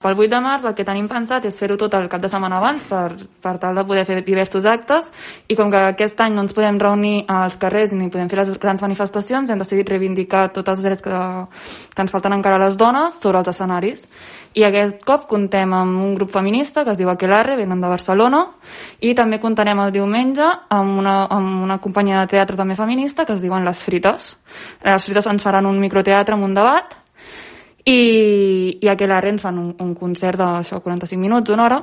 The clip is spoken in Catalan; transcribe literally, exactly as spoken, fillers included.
Pel vuit de març el que tenim pensat és fer-ho tot el cap de setmana abans per, per tal de poder fer diversos actes, i com que aquest any no ens podem reunir als carrers ni podem fer les grans manifestacions, hem decidit reivindicar tots els drets que, que ens falten encara a les dones sobre els escenaris. I aquest cop contem amb un grup feminista que es diu Aquelarre, venen de Barcelona, i també comptarem el diumenge amb una, amb una companyia de teatre també feminista que es diuen Les Frites. Les Frites ens faran un microteatre amb un debat, i, i a Aquelarre ens fan un, un concert de això, quaranta-cinc minuts, una hora,